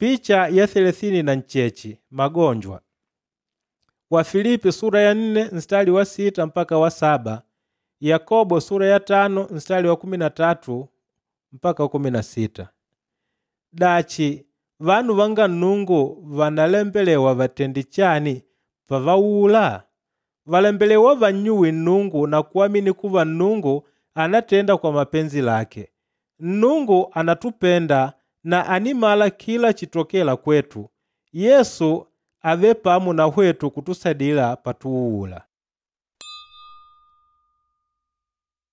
Picha ya 36 magonjwa. Wafilipi sura ya 4 mstari wa 6 mpaka wa 7, Yakobo sura ya 5 mstari wa 13 mpaka 16. Dachi vanu vanga Nnungu vanalembelewa vatende chani pavauula? Valembelewa vannyuwe Nnungu na kuamini kuva Nnungu anatenda kwa mapenzi lake. Nnungu anatupenda na ànimala kila chitokêla kwetu. Yesu àvele pamo na hwetu kutusadila patuuula.